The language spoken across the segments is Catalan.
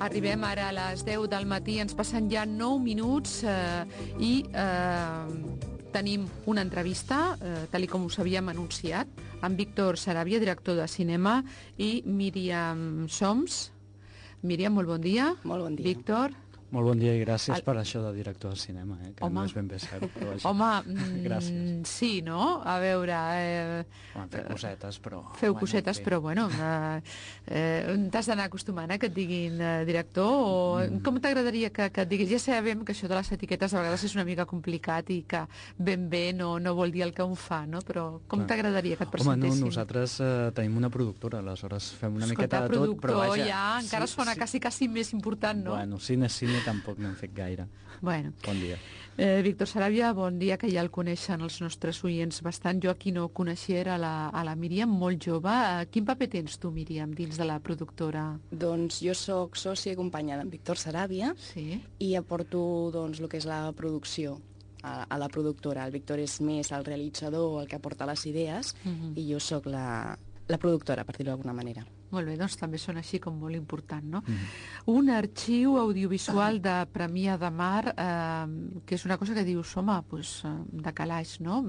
Arribem ara a les 10 del matí, ens passen ja 9 minuts i tenim una entrevista, tal com us havíem anunciat, amb Víctor Sarabia, director de cinema, i Míriam Soms. Míriam, molt bon dia. Molt bon dia. Víctor. Molt bon dia i gràcies per això de director de cinema, que no és ben bé cert. Però home, sí, no? A veure... Feu cosetes, però... Feu cosetes, però bueno, t'has d'anar acostumant que et diguin director, o com t'agradaria que et diguis? Ja sabem que això de les etiquetes a vegades és una mica complicat i que ben bé no vol dir el que un fa, no? Però com t'agradaria que et presentessin? Home, nosaltres tenim una productora, aleshores fem una miqueta de tot, però vaja... ja encara sona quasi més important, no? Bueno, cine tampoc n'hem fet gaire. Bueno. Bon dia. Víctor Sarabia, bon dia, que ja el coneixen els nostres oients bastant. Jo aquí no coneixia era a la Míriam, molt jove. Quin paper tens tu, Míriam, dins de la productora? Doncs jo sóc sòcia i companya d'en Víctor Sarabia, sí, i aporto doncs, el que és la producció a la productora. El Víctor és més el realitzador, el que aporta les idees, i jo sóc la productora, per dir-ho d'alguna manera. Molt bé, doncs també són així com molt important, no? Un arxiu audiovisual de Premià de Mar, que és una cosa que dius, home, pues, de calaix, no?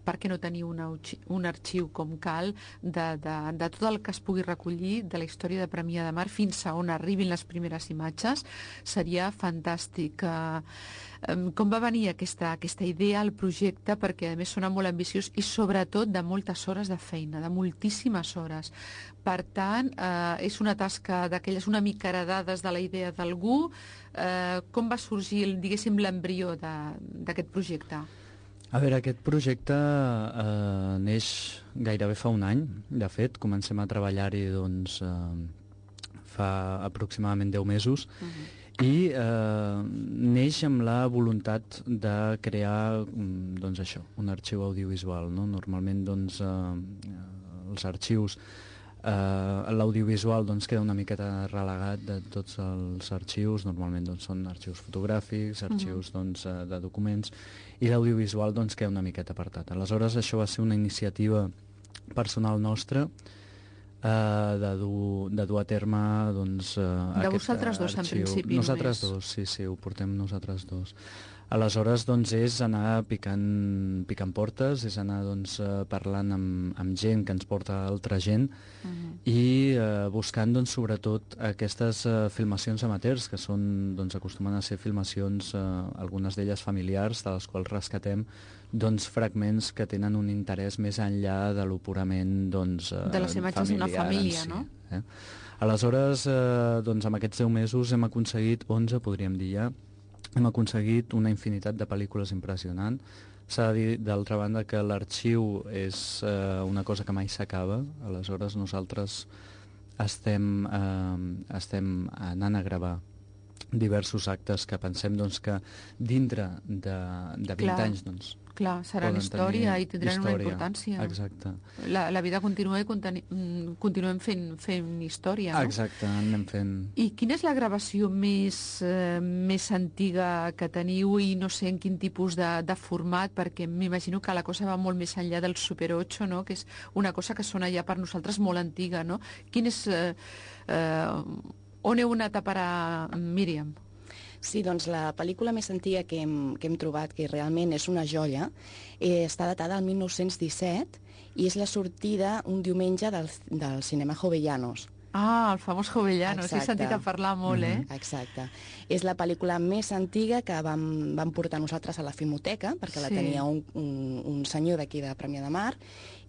Per què no tenir un arxiu com cal de tot el que es pugui recollir de la història de Premià de Mar fins a on arribin les primeres imatges? Seria fantàstic. Com va venir aquesta idea, el projecte, perquè a més sona molt ambiciós i sobretot de moltes hores de feina, de moltíssimes hores. Per tant, és una tasca d'aquelles una mica heredades de la idea d'algú. Com va sorgir, diguéssim, l'embrió d'aquest projecte? A veure, aquest projecte neix gairebé fa un any. De fet, comencem a treballar-hi doncs, fa aproximadament 10 mesos. I neix amb la voluntat de crear doncs això, un arxiu audiovisual, no? Normalment doncs, els arxius, l'audiovisual doncs, queda una miqueta relegat de tots els arxius. Normalment doncs, són arxius fotogràfics, arxius doncs, de documents, i l'audiovisual doncs, queda una miqueta apartat. Aleshores això va ser una iniciativa personal nostra, de dur a terme doncs, de vosaltres dos en principi nosaltres només. Sí, ho portem nosaltres dos. Aleshores doncs, és anar picant portes, és anar doncs, parlant amb gent que ens porta altra gent, i buscant doncs, sobretot aquestes filmacions amateurs, que són, doncs, acostumen a ser filmacions, algunes d'elles familiars, de les quals rescatem doncs, fragments que tenen un interès més enllà de lo purament doncs, de les imatges d'una família, no? Aleshores, doncs, amb aquests 10 mesos hem aconseguit 11, podríem dir ja, hem aconseguit una infinitat de pel·lícules impressionant. S'ha de dir, d'altra banda, que l'arxiu és una cosa que mai s'acaba. Aleshores nosaltres estem anant a gravar diversos actes que pensem doncs, que dintre de 20 anys doncs, clar, seran història i tindran una importància. Exacte. La vida continua i continuem fent història, no? Exacte, anem fent. I quina és la gravació més antiga que teniu, i no sé en quin tipus de format, perquè m'imagino que la cosa va molt més enllà del Super 8, no? Que és una cosa que sona ja per nosaltres molt antiga, no? Quin és... on heu anat a parar, Míriam? Sí, doncs la pel·lícula més antiga que hem trobat, que realment és una joia, està datada al 1917 i és la sortida un diumenge del cinema Jovellanos. Ah, el famós Jovellanos, he sentit a parlar molt, Exacte. És la pel·lícula més antiga que vam portar nosaltres a la Filmoteca, perquè la tenia un senyor d'aquí de Premià de Mar,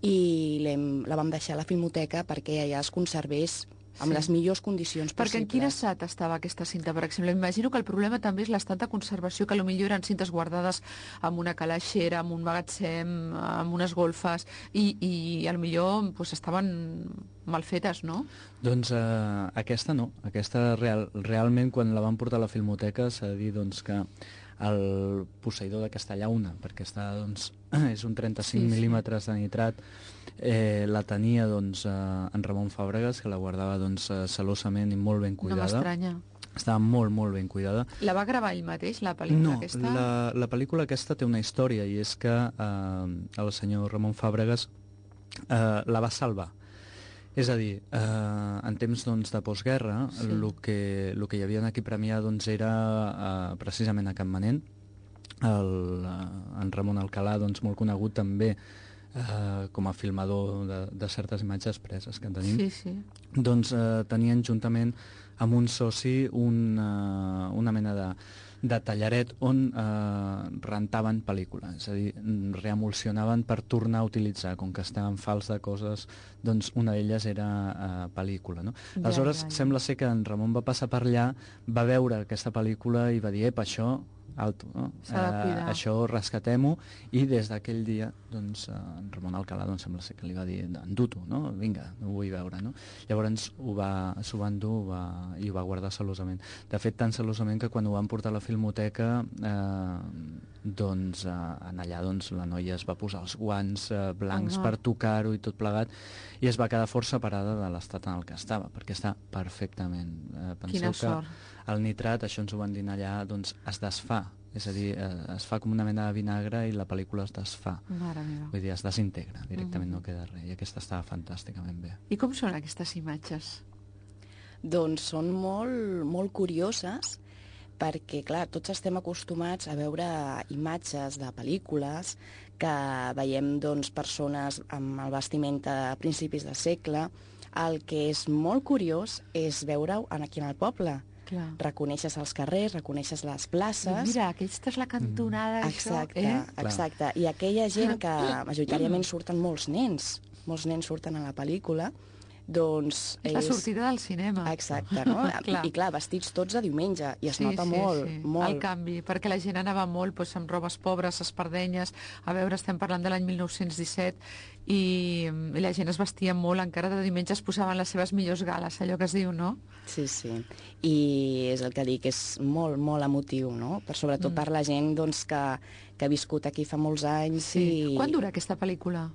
i la vam deixar a la Filmoteca perquè allà es conservés amb les millors condicions possibles. Perquè en quin estat estava aquesta cinta, per exemple? M'imagino que el problema també és l'estat de conservació, que potser eren cintes guardades en una calaixera, en un magatzem, en unes golfes, i potser pues, estaven mal fetes, no? Doncs aquesta no. Aquesta realment, quan la van portar a la Filmoteca, s'ha de dir doncs, que el posseïdor de Castellauna, perquè doncs, és un 35 mil·límetres de nitrat, la tenia doncs, en Ramon Fàbregas, que la guardava doncs, celosament i molt ben cuidada. No m'estranya. Estava molt, molt ben cuidada. La va gravar ell mateix, la pel·lícula aquesta? No, la pel·lícula aquesta té una història, i és que el senyor Ramon Fàbregas la va salvar. És a dir, en temps doncs, de postguerra, el que hi havia aquí a Premià doncs, era precisament a Campmanent, en Ramon Alcalà, doncs, molt conegut també com a filmador de certes imatges preses que tenim, doncs tenien juntament amb un soci una mena de tallaret on rentaven pel·lícules, és a dir, reemulsionaven per tornar a utilitzar, com que estaven fals de coses, doncs una d'elles era pel·lícula, no? Aleshores, sembla ser que en Ramon va passar per allà, va veure aquesta pel·lícula i va dir, això, alto, no? Això rescatem-ho, i des d'aquell dia doncs, en Ramon Alcalà doncs, sembla ser que li va dir endur-t'ho, no? Vinga, no ho vull veure, no? Llavors s'ho va endur i ho va guardar celosament. De fet, tan celosament que quan ho van portar a la Filmoteca doncs en allà doncs, la noia es va posar els guants blancs per tocar-ho i tot plegat, i es va quedar força parada de l'estat en el que estava, perquè està perfectament. Penseu que el nitrat, això ens ho van dir allà, doncs es desfà, és a dir, es fa com una mena de vinagre i la pel·lícula es desfà. Mare meva. Vull dir, es desintegra, directament no queda res, i aquesta estava fantàsticament bé. I com són aquestes imatges? Doncs són molt curioses, perquè, clar, tots estem acostumats a veure imatges de pel·lícules que veiem, doncs, persones amb el vestiment a principis de segle. El que és molt curiós és veure-ho aquí en el poble. Clar. Reconeixes els carrers, reconeixes les places... Mira, aquesta és la cantonada, exacte, això. Exacte. I aquella gent que majoritàriament surten molts nens surten a la pel·lícula, doncs... És la sortida del cinema. Exacte, no? I clar, vestits tots de diumenge, i es nota molt. El canvi, perquè la gent anava molt doncs, amb robes pobres, espardenyes, a veure, estem parlant de l'any 1917, i la gent es vestia molt, encara de diumenge es posaven les seves millors gales, allò que es diu, no? Sí, i és el que dic, és molt, molt emotiu, no? Sobretot per la gent doncs, que ha viscut aquí fa molts anys. Quan dura aquesta pel·lícula?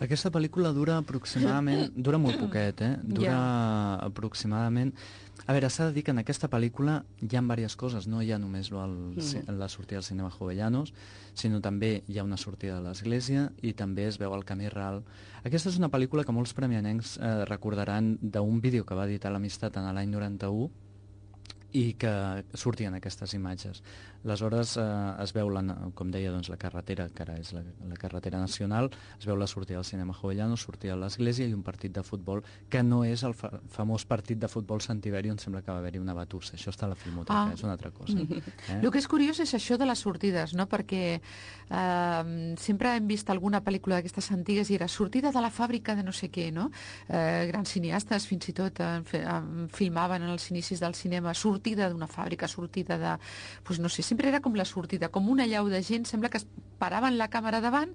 Aquesta pel·lícula dura aproximadament... Dura molt poquet, Dura aproximadament... A veure, s'ha de dir que en aquesta pel·lícula hi ha diverses coses. No hi ha només la sortida del cinema Jovellanos, sinó també hi ha una sortida de l'església i també es veu el camí ral. Aquesta és una pel·lícula que molts premianencs recordaran d'un vídeo que va editar l'Amistat en l'any 91 i que sortien aquestes imatges. Aleshores es veu, com deia, doncs, la carretera, que ara és la carretera nacional, es veu la sortida del cinema Jovellanos, sortida de l'església i un partit de futbol, que no és el famós partit de futbol Santiberi on sembla que va haver-hi una batussa. Això està a la Filmoteca, és una altra cosa. El que és curiós és això de les sortides, no? Perquè sempre hem vist alguna pel·lícula d'aquestes antigues i era sortida de la fàbrica de no sé què, no? Grans cineastes fins i tot filmaven en els inicis del cinema sortida d'una fàbrica, sortida de... Doncs no sé, sempre era com la sortida, com una llau de gent, sembla que es paraven la càmera davant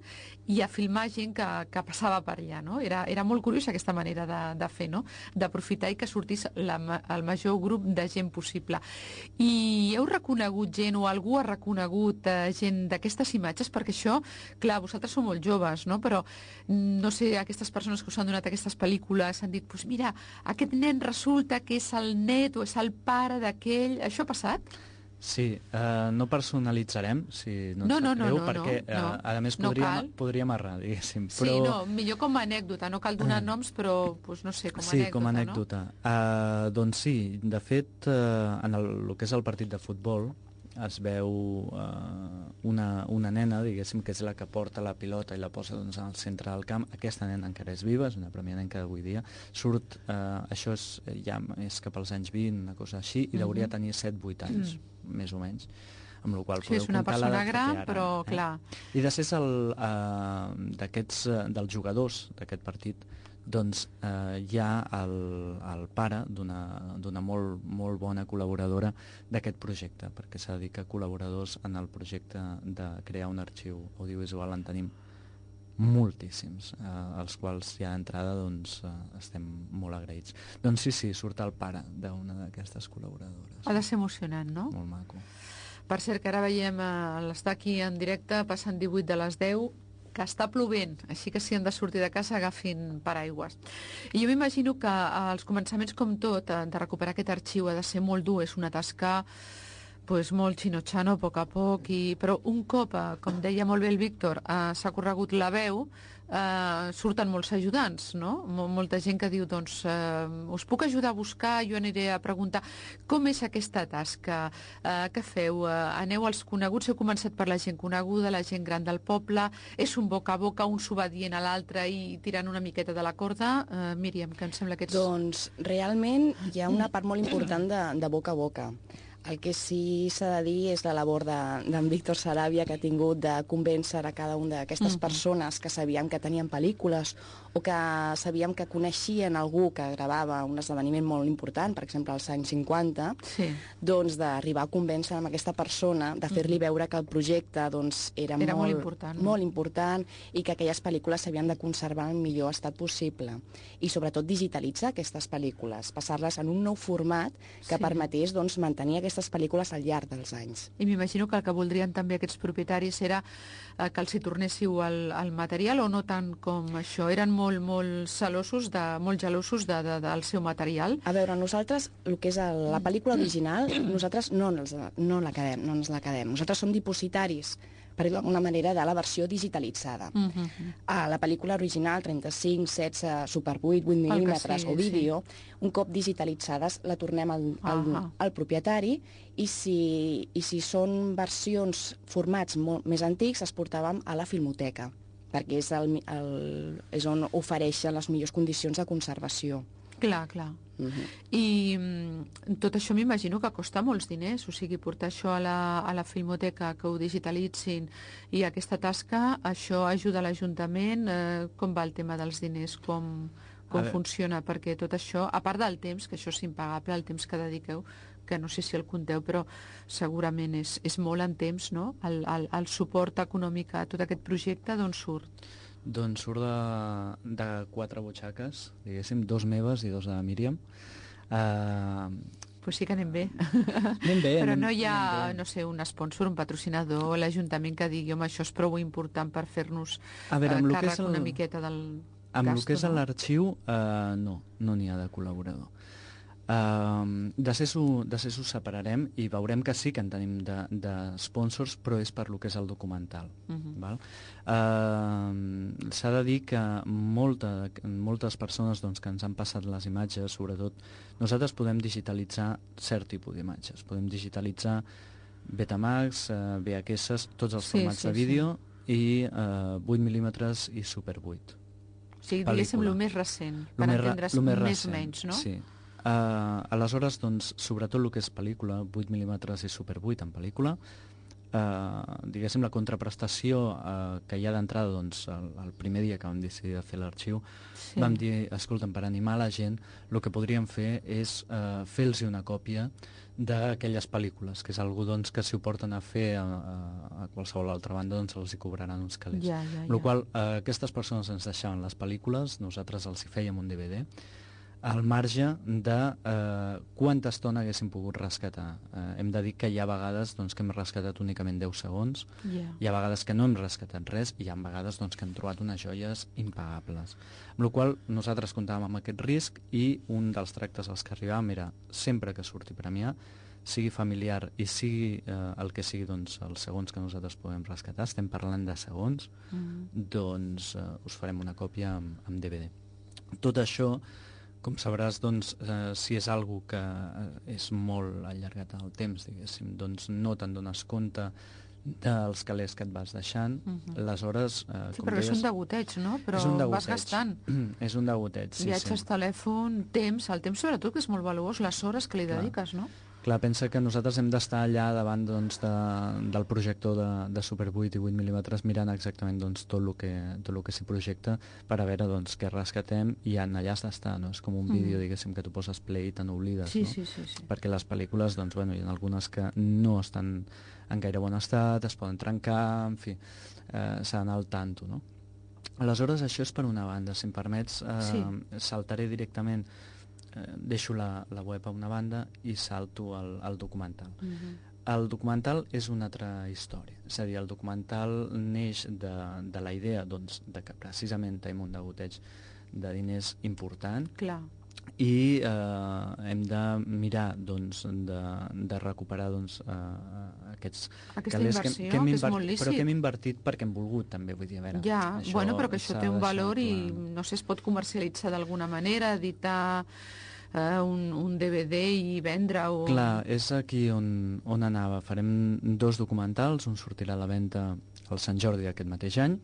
i a filmar gent que passava per allà, no? Era molt curiós aquesta manera de fer, no? D'aprofitar i que sortís el major grup de gent possible. I heu reconegut gent o algú ha reconegut gent d'aquestes imatges? Perquè això, clar, vosaltres sou molt joves, no? Però, no sé, aquestes persones que us han donat aquestes pel·lícules han dit, doncs mira, aquest nen resulta que és el net o és el pare d'aquell... Això ha passat? Sí, no personalitzarem, si no et sap greu, perquè a més podríem errar, diguéssim. Sí, millor com a anècdota, no cal donar noms, però no sé, com a anècdota. Sí, com a anècdota. Doncs sí, de fet, en el que és el partit de futbol, es veu una nena, diguéssim, que és la que porta la pilota i la posa doncs, al centre del camp. Aquesta nena encara és viva, és una premianenca d'avui dia. Surt, això és cap als anys 20, una cosa així, i hauria de tenir 7-8 anys, més o menys. Amb la qual és una persona gran, però clar. I després dels jugadors d'aquest partit, doncs hi ha el pare d'una molt bona col·laboradora d'aquest projecte, perquè s'ha de dir que col·laboradors en el projecte de crear un arxiu audiovisual en tenim moltíssims, als quals ja d'entrada doncs, estem molt agraïts. Doncs sí, surt el pare d'una d'aquestes col·laboradores. Ha de ser emocionant, no? Molt maco. Per cert, que ara veiem l'estar aquí en directe, passant 18 de les 10, que està plovent, així que si han de sortir de casa agafin paraigües. I jo m'imagino que als començaments, com tot, de recuperar aquest arxiu ha de ser molt dur, és una tasca Pues molt xino-xano, a poc a poc, però un cop, com deia molt bé el Víctor, s'ha corregut la veu, surten molts ajudants, no? Molta gent que diu, doncs, us puc ajudar a buscar, jo aniré a preguntar com és aquesta tasca, què feu, aneu als coneguts, heu començat per la gent coneguda, la gent gran del poble, és un boca a boca, un s'ho va dient a l'altre i tirant una miqueta de la corda. Míriam, que em sembla que ets... Doncs realment hi ha una part molt important de boca a boca. El que sí s'ha de dir és la labor d'en Víctor Saràbia, que ha tingut de convèncer a cada una d'aquestes persones que sabíem que tenien pel·lícules o que sabíem que coneixien algú que gravava un esdeveniment molt important, per exemple als anys 50, Sí. doncs d'arribar a convèncer amb aquesta persona, de fer-li veure que el projecte doncs, era molt important, no? molt important i que aquelles pel·lícules s'havien de conservar en el millor estat possible. I sobretot digitalitzar aquestes pel·lícules, passar-les en un nou format que Sí. permetés doncs, mantenir aquestes pel·lícules al llarg dels anys. I m'imagino que el que voldrien també aquests propietaris era que els hi tornéssiu el material, o no tant com això? Eren molt gelosos del seu material? A veure, nosaltres, el que és la pel·lícula original, nosaltres no ens la quedem. Nosaltres som dipositaris, per dir-ho d'alguna manera, de la versió digitalitzada. La pel·lícula original, 35, 16, Super 8, 8 mil·límetres sigui, o vídeo, un cop digitalitzades la tornem al propietari i si són versions, formats molt més antics, es portaven a la filmoteca, perquè és on ofereixen les millors condicions de conservació. Clar. I tot això m'imagino que costa molts diners, o sigui, portar això a la filmoteca, que ho digitalitzin, i aquesta tasca, això ajuda a l'Ajuntament? Com va el tema dels diners? Com funciona? Perquè tot això, a part del temps, que això és impagable, el temps que dediqueu, que no sé si el compteu, però segurament és molt en temps, no? El suport econòmic a tot aquest projecte, d'on surt? Doncs surt de 4 butxaques, diguéssim, 2 meves i 2 de Míriam. Pues sí que anem bé. Anem bé. Però no hi ha, no sé, un sponsor, un patrocinador, l'Ajuntament que digui, home, això és prou important per fer-nos càrrec una miqueta del gasto. Amb el que és l'arxiu, no n'hi ha de col·laborador. De ser s'ho separarem i veurem que sí que en tenim de sponsors, però és per lo que és el documental. Val? S'ha de dir que moltes persones doncs, que ens han passat les imatges, sobretot, nosaltres podem digitalitzar cert tipus d'imatges. Podem digitalitzar Betamax, VHS, tots els formats de vídeo i 8 mil·límetres i Super 8. O sigui, diguéssim, el més recent, per entendre's més o menys, no? Sí. Aleshores, doncs, sobretot el que és pel·lícula, 8 mil·límetres i Super 8 en pel·lícula, diguéssim, la contraprestació que hi ha d'entrada, doncs, el primer dia que vam decidir de fer l'arxiu, vam dir, escolta'm, per animar la gent, el que podríem fer és fer-los una còpia d'aquelles pel·lícules, que és algú doncs, que si ho porten a fer a qualsevol altra banda, doncs els hi cobraran uns calés. Amb la qual cosa, aquestes persones ens deixaven les pel·lícules, nosaltres els hi fèiem un DVD, al marge de quanta estona haguéssim pogut rescatar. Hem de dir que hi ha vegades doncs, que hem rescatat únicament 10 segons, hi ha vegades que no hem rescatat res i hi ha vegades doncs, que hem trobat unes joies impagables. Amb la qual cosa nosaltres comptàvem amb aquest risc i un dels tractes als que arribàvem era sempre que surti premiar, sigui familiar i sigui el que sigui doncs, els segons que nosaltres podem rescatar, estem parlant de segons, doncs us farem una còpia amb DVD. Tot això, com sabràs, doncs, si és algo que és molt allargat en el temps, diguéssim, doncs no te'n dones compte dels calés que et vas deixant, aleshores... Sí, però és un degoteig, no? Però vas gastant. És un degoteig, sí. Viatges, telèfon, temps, el temps sobretot, que és molt valuós, les hores que li dediques, no? Clar, pensa que nosaltres hem d'estar allà davant doncs, del projector de Super 8 i 8 mil·límetres mirant exactament doncs, tot el que s'hi projecta per a veure doncs, què rescatem i allà has d'estar, no? És com un vídeo, diguéssim, que tu poses play i te n'oblides, no? Sí. Perquè les pel·lícules, doncs, bueno, hi ha algunes que no estan en gaire bon estat, es poden trencar, en fi, s'ha d'anar al tanto, no? Aleshores, això és per una banda. Si em permets, saltaré directament, deixo la web a una banda i salto al documental. El documental és una altra història, és a dir, el documental neix de la idea doncs, de que precisament tenim un degoteig de diners important. Clar. i hem de mirar de recuperar aquests aquesta calés inversió, que és molt lícit. però que hem invertit perquè hem volgut també, vull dir, a veure, Ja, bueno, però que això té un valor i clar. no sé, es pot comercialitzar d'alguna manera, editar un DVD i vendre-ho. Clar, és aquí on anava. Farem 2 documentals, un sortirà a la venda al Sant Jordi d'aquest mateix any,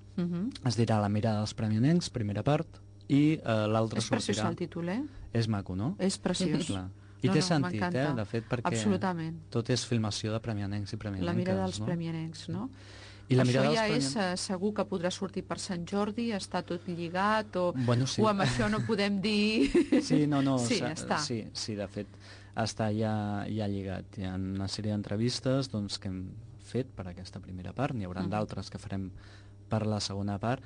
es dirà La mirada dels premionencs, primera part, i l'altre sortirà... És preciós el títol, És maco, no? És preciós. Clar. I té sentit, de fet, perquè absolutament. tot és filmació de premianencs i premianenques. La mirada dels premianencs, no? I la això ja és segur que podrà sortir per Sant Jordi, està tot lligat, o amb això no podem dir... Sí, no, sí, està. Sí, de fet, està ja lligat. Hi ha una sèrie d'entrevistes que hem fet per aquesta primera part, n'hi haurà d'altres que farem per la segona part.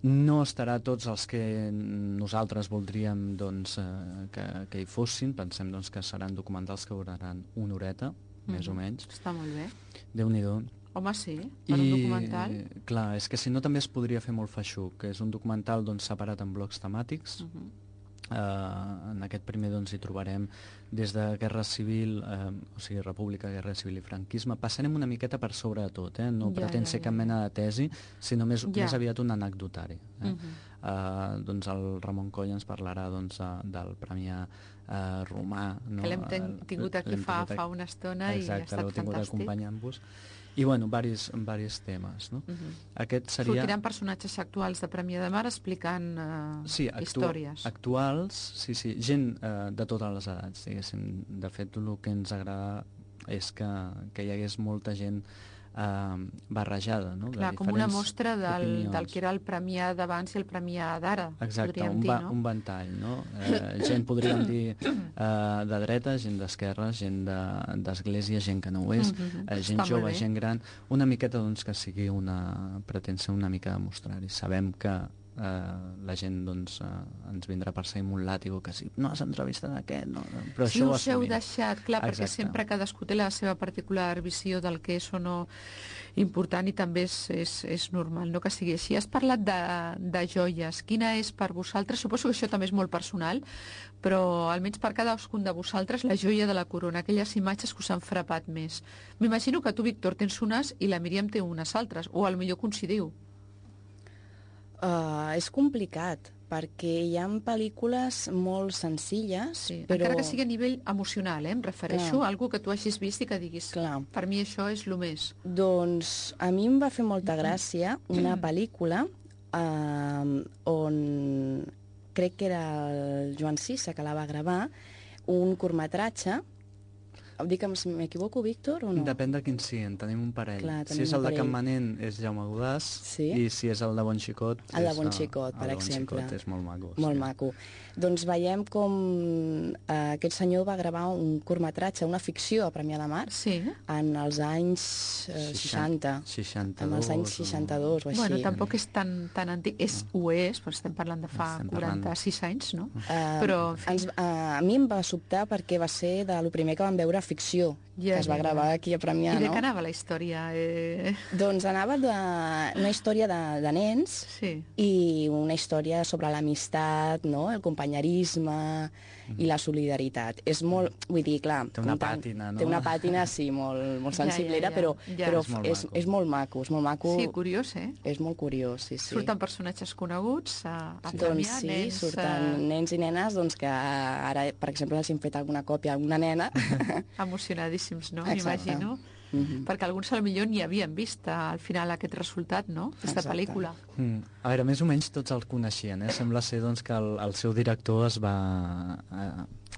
No estarà tots els que nosaltres voldríem que hi fossin. Pensem que seran documentals que duraran una horeta, més o menys. Està molt bé. Déu-n'hi-do. Home, sí, per un documental. Clar, és que si no també es podria fer molt feixuc, que és un documental separat en blocs temàtics. En aquest primer hi trobarem des de Guerra Civil, o sigui, República, Guerra Civil i Franquisme. Passarem una miqueta per sobre de tot, no pretén ser cap mena de tesi, sinó més aviat un anecdotari. El Ramon Coll ens parlarà del Premià romà. Que l'hem tingut aquí fa una estona i ha estat fantàstic. Exacte, l'heu tingut acompanyant-vos. I, varis temes, no? Aquest seria... Sortiran personatges actuals de Premià de Mar explicant històries. Actuals, sí, gent de totes les edats, diguéssim. De fet, el que ens agrada és que hi hagués molta gent barrejada, no? Clar, com una mostra del que era el Premià d'abans i el Premià d'ara. Exacte, un ventall, no? Gent, podríem dir, de dreta, gent d'esquerra, gent d'església, gent que no ho és, gent jove, gent gran, una miqueta que sigui pretén ser una mica de mostrar-hi. Sabem que la gent ens vindrà a perseguir amb un làtigo que si no has entrevistat aquest, no? Però si això us heu deixat, clar, perquè sempre cadascú té la seva particular visió del que és o no important i també és normal, no, que sigui així. Has parlat de joies. Quina és per vosaltres? Suposo que això també és molt personal, però almenys per cadascun de vosaltres la joia de la corona, aquelles imatges que us han frapat més. M'imagino que tu, Víctor, tens unes i la Míriam té unes altres, o potser coincidiu. És complicat, perquè hi ha pel·lícules molt senzilles, però... Encara que sigui a nivell emocional, em refereixo a algú que tu hagis vist i que diguis, per mi això és el més. Doncs a mi em va fer molta gràcia una pel·lícula on crec que era el Joan Sisa que la va gravar, un curtmetratge. Dic que m'equivoco, Víctor, o no? Depèn de quin sí, en tenim un parell. Si és el de Campmanent és Jaume Godàs, i si és el de Bon Xicot el de Bon Xicot, per exemple. El de Bon Xicot és molt maco. Molt maco. Doncs veiem com aquest senyor va gravar un curtmetratge, una ficció a Premià de Mar, en els anys 60. 62. En els anys 62 o així. Bueno, tampoc és tan antic. Ho és, però estem parlant de fa 46 anys, no? Però, en fi... A mi em va sobtar perquè va ser del primer que vam veure ficció, que es va gravar aquí a Premià, no? I de què anava la història? Doncs anava d'una història de nens i una història sobre l'amistat, no? El companyerisme i la solidaritat. És molt, vull dir, clar... Té una pàtina, no? Té una pàtina, sí, molt sensiblera, però és molt maco, és molt maco. Sí, curiós, És molt curiós, sí. Surten personatges coneguts a Premià, doncs sí, nens... surten nens i nenes, doncs que ara, per exemple, els hem fet alguna còpia a una nena. Emocionadíssims, no? M'imagino. Perquè alguns potser ni havien vist al final aquest resultat, no? Aquesta pel·lícula. A veure, més o menys tots el coneixien, Sembla ser que el seu director es va...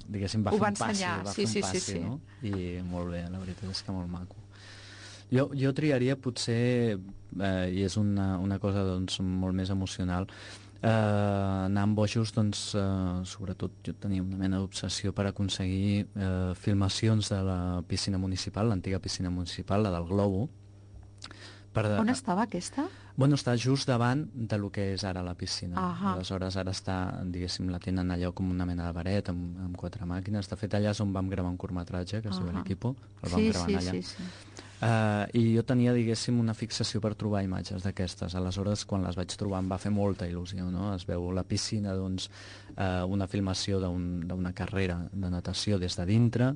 diguéssim, va fer un passi, no? I molt bé, la veritat és que molt maco. Jo triaria potser, i és una cosa molt més emocional, anar amb bojos, sobretot jo tenia una mena d'obsessió per aconseguir filmacions de la piscina municipal, l'antiga piscina municipal, la del Globo. On estava aquesta? Bueno, està just davant de lo que és ara la piscina. Aleshores, ara està, diguéssim, la tenen allò com una mena de baret, amb 4 màquines. De fet, allà és on vam gravar un curtmetratge, que es diu l'Equipo. El vam gravar allà. I jo tenia, diguéssim, una fixació per trobar imatges d'aquestes. Aleshores, quan les vaig trobar em va fer molta il·lusió, no? Es veu la piscina, doncs, una filmació d'una carrera de natació des de dintre,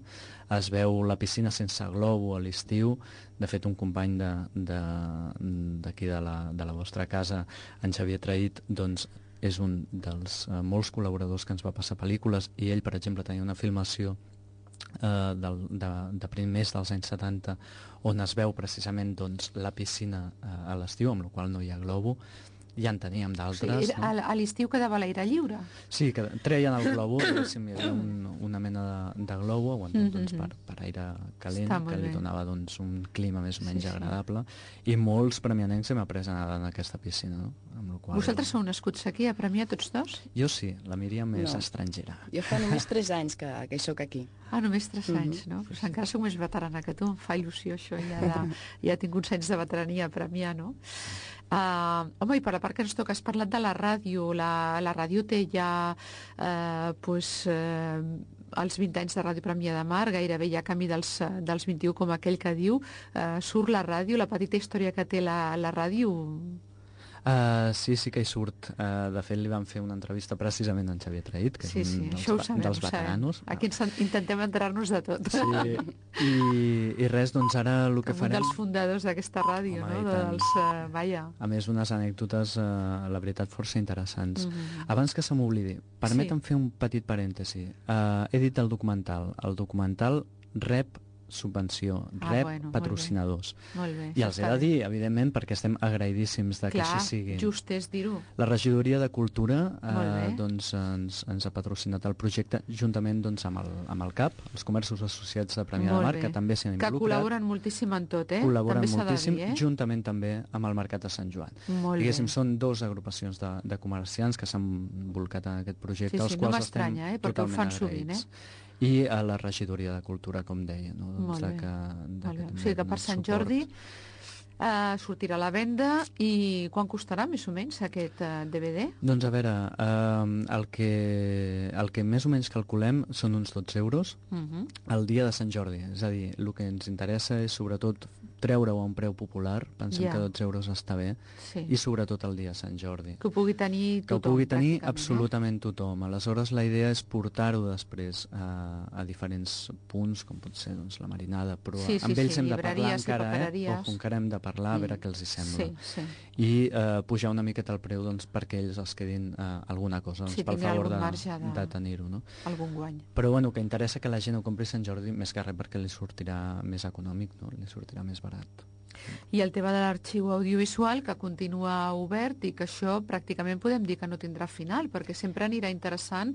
es veu la piscina sense globo a l'estiu. De fet, un company d'aquí de la vostra casa, en Xavier Traït, doncs, és un dels molts col·laboradors que ens va passar pel·lícules, i ell, per exemple, tenia una filmació de primers dels anys 70 on es veu precisament, doncs, la piscina a l'estiu, amb la qual no hi ha globo. Ja en teníem d'altres. Sí, a l'estiu quedava l'aire lliure? Sí, que treien el globo, diguéssim, hi havia una mena de globo aguantat doncs, per aire calent, que li donava doncs, un clima més o menys agradable, i molts premianencs hem après a nedar en aquesta piscina. No? Amb qual... Vosaltres sou nascuts aquí a Premià, tots dos? Jo sí, la Míriam és estrangera. Jo fa només 3 anys que hi soc aquí. Ah, només 3 anys, no? Pues encara soc més veterana que tu, em fa il·lusió això, ja tinc uns anys de veterania a Premià, no? Home, i per la part que ens toca, has parlat de la ràdio. La ràdio té ja els 20 anys de Ràdio Premià de Mar, gairebé ja camí dels 21, com aquell que diu. Surt la ràdio, la petita història que té la ràdio... Sí que hi surt. De fet, li vam fer una entrevista precisament a en Xavier Traït, que és un dels veteranos. Aquí intentem enterar-nos de tot. Sí, i res, doncs ara el que farem... Un dels fundadors d'aquesta ràdio, no? A més, unes anècdotes, la veritat, força interessants. Abans que se m'oblidi, permetem fer un petit parèntesi. He dit el documental. El documental rep subvenció, patrocinadors. Molt bé. I els he de dir, evidentment, perquè estem agraïdíssims que així sigui. Just és dir-ho. La Regidoria de Cultura doncs, ens ha patrocinat el projecte juntament doncs, amb el CAP, els Comerços Associats de Premià de Mar, que també s'hi han involucrat. Que col·laboren moltíssim en tot, Col·laboren moltíssim, juntament també amb el Mercat de Sant Joan. Diguéssim, són 2 agrupacions de comerciants que s'han volcat en aquest projecte, als quals estem totalment agraïts. I a la Regidoria de Cultura, com deia. No? Molt bé. O sigui que per Sant Jordi sortirà a la venda. I quan costarà, més o menys, aquest DVD? Doncs a veure, el que més o menys calculem són uns 12 euros el dia de Sant Jordi. És a dir, el que ens interessa és sobretot treure-ho a un preu popular, pensem que 12 euros està bé, i sobretot el dia de Sant Jordi. Que ho pugui tenir tothom. Que ho pugui tenir absolutament tothom. Aleshores, la idea és portar-ho després a diferents punts, com pot ser doncs, la Marinada, però amb ells hem de parlar encara hem de parlar, a veure què els hi sembla. I pujar una miqueta el preu doncs, perquè ells els quedin alguna cosa, doncs, pel favor de tenir-ho. No? Algun guany. Però bueno, que interessa que la gent ho compri Sant Jordi, més que res perquè li sortirà més econòmic, no? Li sortirà més barat. I el tema de l'arxiu audiovisual, que continua obert i que això pràcticament podem dir que no tindrà final, perquè sempre anirà interessant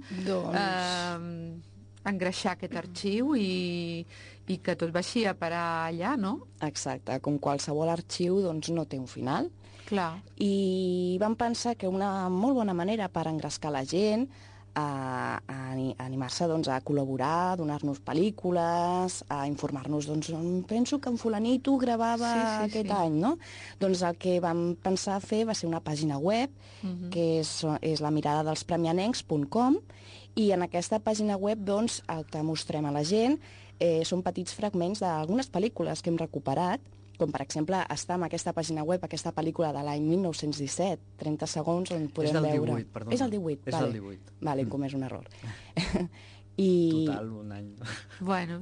engreixar aquest arxiu i que tot vagi a parar allà, no? Exacte, com qualsevol arxiu doncs no té un final. Clar. I vam pensar que una molt bona manera per engrescar la gent a animar-se doncs, a col·laborar, a donar-nos pel·lícules, a informar-nos, doncs, penso que en fulanito gravava aquest any, no? Doncs el que vam pensar fer va ser una pàgina web, que és la mirada dels premianencs.com, i en aquesta pàgina web doncs, el que mostrem a la gent són petits fragments d'algunes pel·lícules que hem recuperat, com per exemple està en aquesta pàgina web aquesta pel·lícula de l'any 1917, 30 segons on podem veure... És del 18, perdona. És el 18, és del 18. Vale, hem comès un error. Total, un any. Bueno,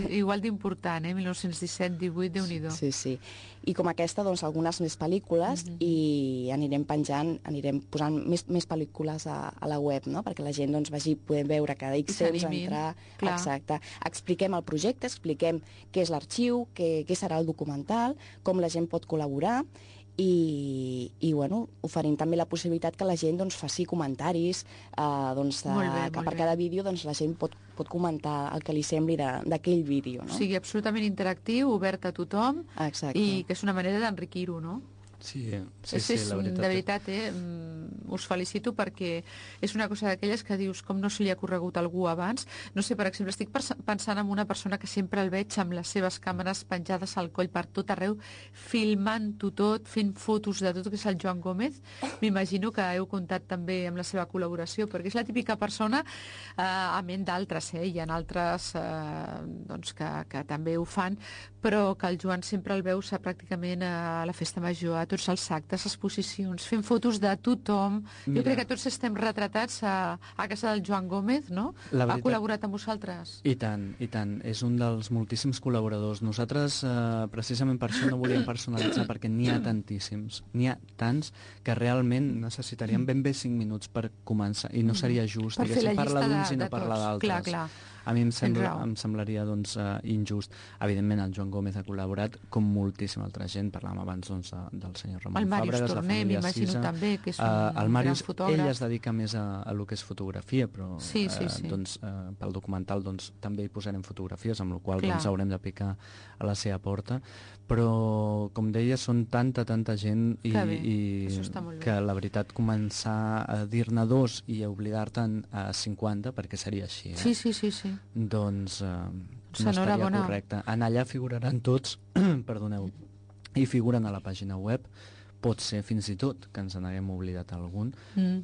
igual d'important, 1917, 18, Déu-n'hi-do. Sí. I com aquesta, doncs, algunes més pel·lícules i anirem penjant, anirem posant més pel·lícules a la web, no? Perquè la gent doncs, vagi podent veure cada X temps entrar... Clar. Exacte. Expliquem el projecte, expliquem què és l'arxiu, què serà el documental, com la gent pot col·laborar i bueno, oferint també la possibilitat que la gent doncs, faci comentaris, que per cada vídeo doncs, la gent pot comentar el que li sembli d'aquell vídeo. No? O sigui, absolutament interactiu, obert a tothom. Exacte. I que és una manera d'enriquir-ho, no? Sí, La veritat. De veritat, us felicito perquè és una cosa d'aquelles que dius com no se li ha corregut a algú abans. No sé, per exemple, estic pensant en una persona que sempre el veig amb les seves càmeres penjades al coll per tot arreu, filmant-ho tot, fent fotos de tot, que és el Joan Gómez. M'imagino que heu comptat també amb la seva col·laboració, perquè és la típica persona, a ment d'altres, hi ha altres doncs que també ho fan, però que el Joan sempre el veus pràcticament a la festa major, a tots els actes, exposicions, fent fotos de tothom. Mira, jo crec que tots estem retratats a casa del Joan Gómez, no? Ha col·laborat amb vosaltres? I tant, i tant. És un dels moltíssims col·laboradors. Nosaltres, precisament per això no volíem personalitzar, perquè n'hi ha tantíssims, n'hi ha tants que realment necessitaríem ben bé 5 minuts per començar, i no seria just, diguéssim, parlar d'uns i no parlar d'altres. Clar, clar. A mi em semblaria doncs, injust. Evidentment, el Joan Gómez ha col·laborat com moltíssima altra gent. Parlàvem abans doncs, del senyor Ramon Fàbregas, la família Sisa. També, que és un gran fotògraf. Ell es dedica més a lo que és fotografia, però doncs, pel documental doncs, també hi posarem fotografies, amb la qual doncs, haurem de picar a la seva porta. Però, com deia, són tanta gent i que la veritat començar a dir-ne 2 i a oblidar-te'n a 50, perquè seria així. Sí. Doncs no estaria correcte. En allà figuraran tots, perdoneu, i figuren a la pàgina web. Pot ser fins i tot que ens n'haguem oblidat algun,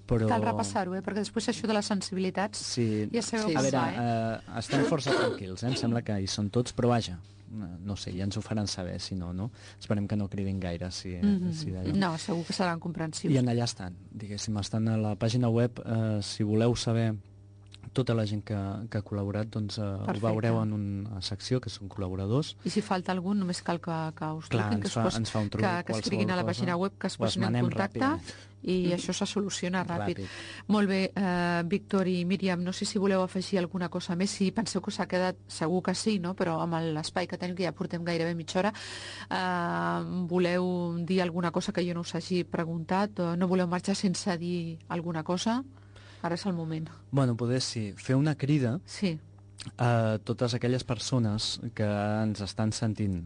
però... Cal repassar-ho, perquè després això de les sensibilitats ja sabeu a veure, estem força tranquils, em sembla que hi són tots, però vaja, no sé, ja ens ho faran saber, si no, no? Esperem que no cridin gaire, si no, segur que seran comprensius. I en allà estan, diguéssim, estan a la pàgina web, si voleu saber tota la gent que ha col·laborat, doncs ho veureu en una secció, que són col·laboradors. I si falta algun, només cal que us truquin, ens fa un truc, que escriguin a la pàgina web, que es posin en contacte, i això se soluciona ràpid. Molt bé, Víctor i Míriam, no sé si voleu afegir alguna cosa més, si penseu que s'ha quedat, segur que sí, no? Però amb l'espai que tenim, que ja portem gairebé mitja hora, voleu dir alguna cosa que jo no us hagi preguntat? No voleu marxar sense dir alguna cosa? Ara és el moment. Bueno, poder sí. Fer una crida a totes aquelles persones que ens estan sentint,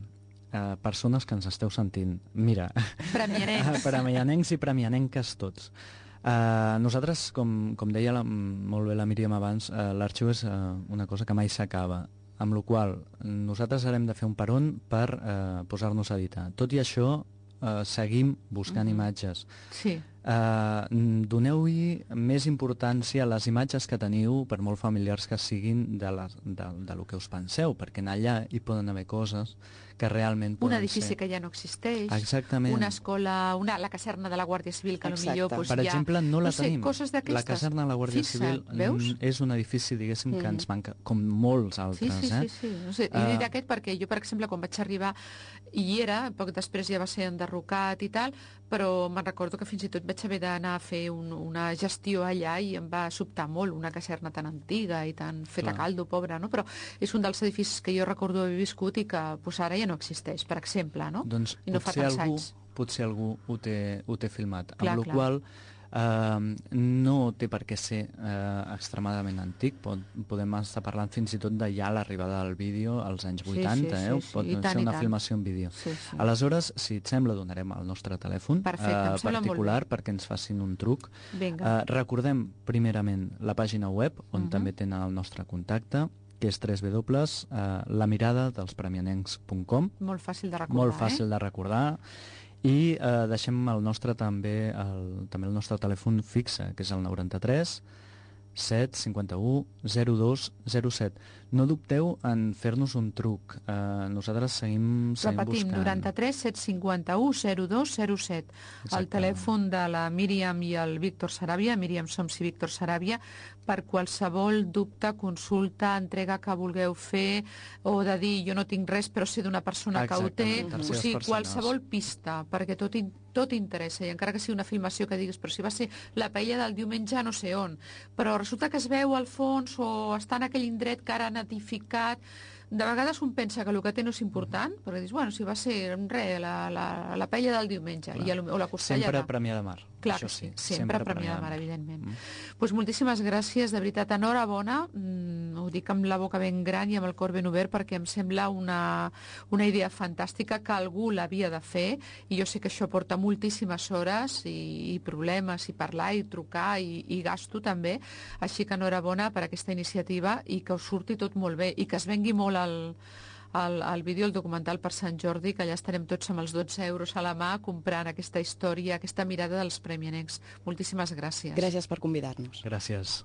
persones que ens esteu sentint. Mira, premianencs i premianenques tots. Nosaltres, com deia molt bé la Míriam abans, l'arxiu és una cosa que mai s'acaba, amb la qual nosaltres harem de fer un peron per posar-nos a editar. Tot i això, seguim buscant imatges. Doneu-hi més importància a les imatges que teniu, per molt familiars que siguin, de lo que us penseu, perquè en allà hi poden haver coses que realment poden ser... Un edifici que ja no existeix. Exactament. Una escola, la caserna de la Guàrdia Civil, que potser per exemple, no la tenim. Coses d'aquestes. La caserna de la Guàrdia Civil és un edifici, diguéssim, que ens manca, com molts altres. Sí. No sé, he dit aquest perquè jo, per exemple, quan vaig arribar, hi era, poc després ja va ser enderrocat i tal, però me'n recordo que fins i tot vaig haver d'anar a fer una gestió allà i em va sobtar molt, una caserna tan antiga i tan feta caldo, pobra, no? Però és un dels edificis que jo recordo haver viscut i que ara ja no existeix, per exemple, no? Doncs I no fa tants anys. Potser algú ho té filmat, amb la qual no té per què ser extremadament antic, podem estar parlant fins i tot de ja l'arribada del vídeo als anys 80, pot ser una filmació en vídeo. Aleshores, si et sembla, donarem el nostre telèfon particular perquè ens facin un truc. Recordem primerament la pàgina web, on també tenen el nostre contacte, que és www.lamiradadelspremianencs.com. Molt fàcil de recordar. Molt fàcil de recordar. I deixem el nostre també el nostre telèfon fixe, que és el 93 751 02 07. No dubteu en fer-nos un truc. Nosaltres seguim Repetim, buscant. 93 751 02 07. El telèfon de la Míriam i el Víctor Saràbia, Míriam Soms i Víctor Saràbia, per qualsevol dubte, consulta, entrega que vulgueu fer, o de dir jo no tinc res però sé d'una persona que ho té, o sigui, qualsevol pista, perquè tot interessa, i encara que sigui una filmació que diguis, però si va ser la paella del diumenge no sé on, però resulta que es veu al fons o està en aquell indret que ara han edificat. De vegades un pensa que el que té no és important, perquè dius, bueno, si va ser la paella del diumenge, o la costellada. Sempre Premià de Mar. Clar que sí, sempre Premià de Mar, evidentment. Doncs moltíssimes gràcies, de veritat, enhorabona, ho dic amb la boca ben gran i amb el cor ben obert perquè em sembla una idea fantàstica que algú l'havia de fer i jo sé que això porta moltíssimes hores i problemes i parlar i trucar i gasto també, així que enhorabona per aquesta iniciativa i que us surti tot molt bé i que es vengui molt el vídeo, el documental per Sant Jordi, que allà estarem tots amb els 12 euros a la mà comprant aquesta història, aquesta mirada dels premianecs. Moltíssimes gràcies. Gràcies per convidar-nos. Gràcies.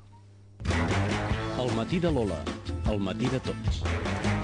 El matí de Lola, el matí de tots.